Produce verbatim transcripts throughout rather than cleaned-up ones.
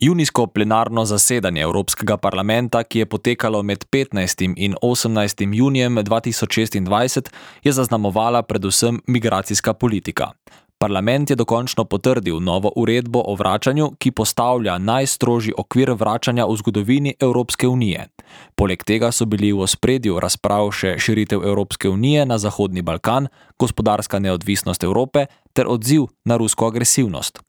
Junijsko plenarno zasedanje Evropskega parlamenta, ki je potekalo med petnajstim in osemnajstim junijem dva tisoč šestindvajset, je zaznamovala predvsem migracijska politika. Parlament je dokončno potrdil novo uredbo o vračanju, ki postavlja najstrožji okvir vračanja v zgodovini Evropske unije. Poleg tega so bili v ospredju razprav še širitev Evropske unije na Zahodni Balkan, gospodarska neodvisnost Evrope ter odziv na rusko agresivnost.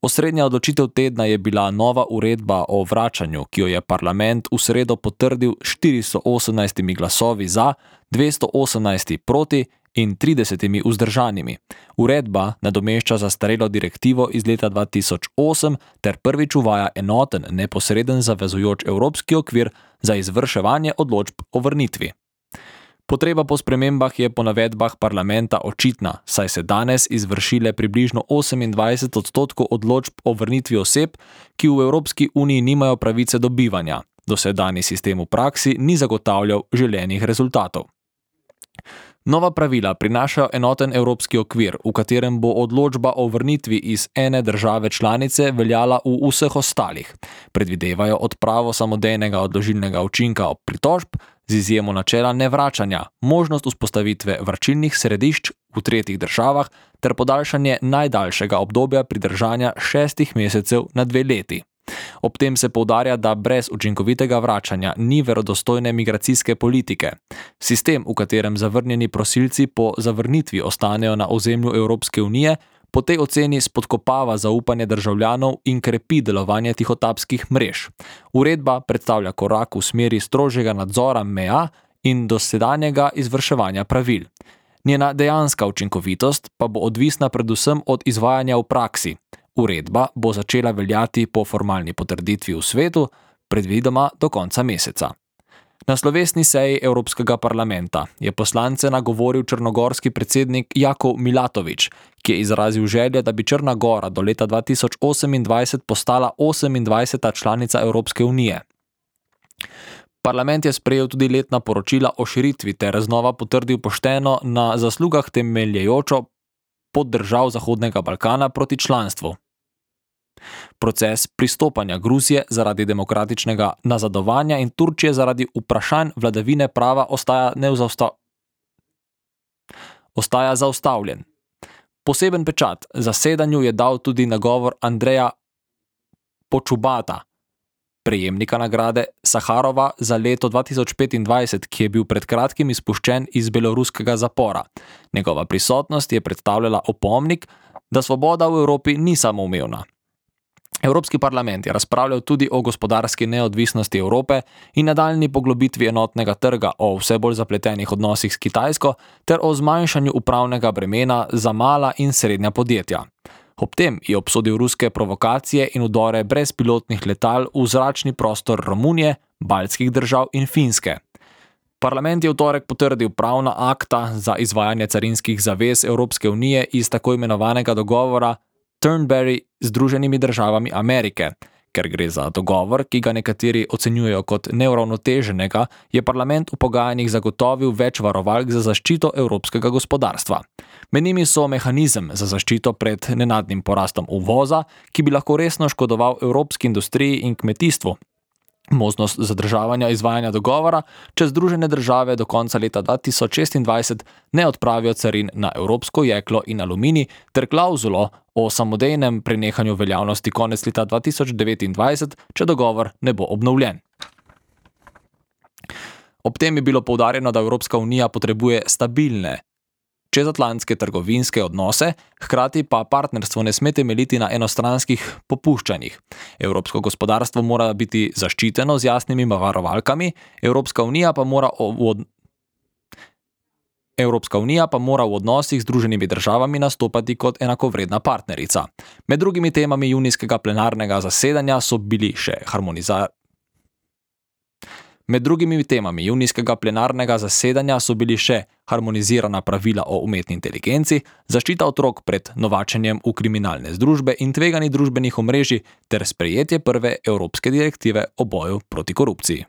Osrednja odločitev tedna je bila nova uredba o vračanju, ki jo je parlament v sredo potrdil s štiristo osemnajstimi glasovi za, dvesto osemnajsti proti in tridesetimi vzdržanimi. Uredba nadomešča zastarelo direktivo iz leta dva tisoč osem ter prvič uvaja enoten, neposreden zavezujoč evropski okvir za izvrševanje odločb o vrnitvi. Potreba po spremembah je po navedbah parlamenta očitna, saj se danes izvršile približno osemindvajset odstotkov odločb o vrnitvi oseb, ki v Evropski uniji nimajo pravice do bivanja. Dosedanji sistem v praksi ni zagotavljal želenih rezultatov. Nova pravila prinašajo enoten evropski okvir, v katerem bo odločba o vrnitvi iz ene države članice veljala v vseh ostalih. Predvidevajo odpravo samodejnega odložilnega učinka ob pritožb, z izjemo načela nevračanja, možnost vzpostavitve vračilnih središč v tretjih državah ter podaljšanje najdaljšega obdobja pridržanja šestih mesecev na dve leti. Ob tem se poudarja, da brez učinkovitega vračanja ni verodostojne migracijske politike. Sistem, v katerem zavrnjeni prosilci po zavrnitvi ostanejo na ozemlju Evropske unije, po tej oceni spodkopava zaupanje državljanov in krepi delovanje tihotapskih mrež. Uredba predstavlja korak v smeri strožjega nadzora meja in dosedanjega izvrševanja pravil. Njena dejanska učinkovitost pa bo odvisna predvsem od izvajanja v praksi. Uredba bo začela veljati po formalni potrditvi v svetu, predvidoma do konca meseca. Na slovesni seji Evropskega parlamenta je poslance nagovoril črnogorski predsednik Jakov Milatović, ki je izrazil željo, da bi Črna Gora do leta dva tisoč osemindvajset postala osemindvajseta članica Evropske unije. Parlament je sprejel tudi letna poročila o širitvi ter znova potrdil pošteno na zaslugah temeljejočo pot držav Zahodnega Balkana proti članstvu. Proces pristopanja Gruzije zaradi demokratičnega nazadovanja in Turčije zaradi vprašanj vladavine prava ostaja, neuzausta... ostaja zaustavljen. Poseben pečat zasedanju je dal tudi nagovor Andreja Počubata, prejemnika nagrade Saharova za leto dva tisoč petindvajset, ki je bil pred kratkim izpuščen iz beloruskega zapora. Njegova prisotnost je predstavljala opomnik, da svoboda v Evropi ni samoumevna. Evropski parlament je razpravljal tudi o gospodarski neodvisnosti Evrope in nadaljnji poglobitvi enotnega trga, o vse bolj zapletenih odnosih s Kitajsko ter o zmanjšanju upravnega bremena za mala in srednja podjetja. Ob tem je obsodil ruske provokacije in vdore brezpilotnih letal v zračni prostor Romunije, baltskih držav in Finske. Parlament je v torek potrdil pravna akta za izvajanje carinskih zavez Evropske unije iz tako imenovanega dogovora Turnberry z Združenimi državami Amerike. Ker gre za dogovor, ki ga nekateri ocenjujejo kot neuravnoteženega, je parlament v pogajanjih zagotovil več varovalk za zaščito evropskega gospodarstva. Med njimi so mehanizem za zaščito pred nenadnim porastom uvoza, ki bi lahko resno škodoval evropski industriji in kmetijstvu, možnost zadržavanja izvajanja dogovora, če Združene države do konca leta dva tisoč šestindvajset ne odpravijo carin na evropsko jeklo in aluminij ter klauzulo o samodejnem prenehanju veljavnosti konec leta dva tisoč devetindvajset, če dogovor ne bo obnovljen. Ob tem je bilo poudarjeno, da Evropska unija potrebuje stabilne čezatlantske trgovinske odnose, hkrati pa partnerstvo ne sme temeljiti na enostranskih popuščanjih. Evropsko gospodarstvo mora biti zaščiteno z jasnimi varovalkami, Evropska unija pa mora v Evropska unija pa mora v odnosih z Združenimi državami nastopati kot enakovredna partnerica. Med drugimi temami junijskega plenarnega zasedanja so bili še harmonizacija Med drugimi temami junijskega plenarnega zasedanja so bili še harmonizirana pravila o umetni inteligenci, zaščita otrok pred novačenjem v kriminalne združbe in tvegani družbenih omrežij ter sprejetje prve evropske direktive o boju proti korupciji.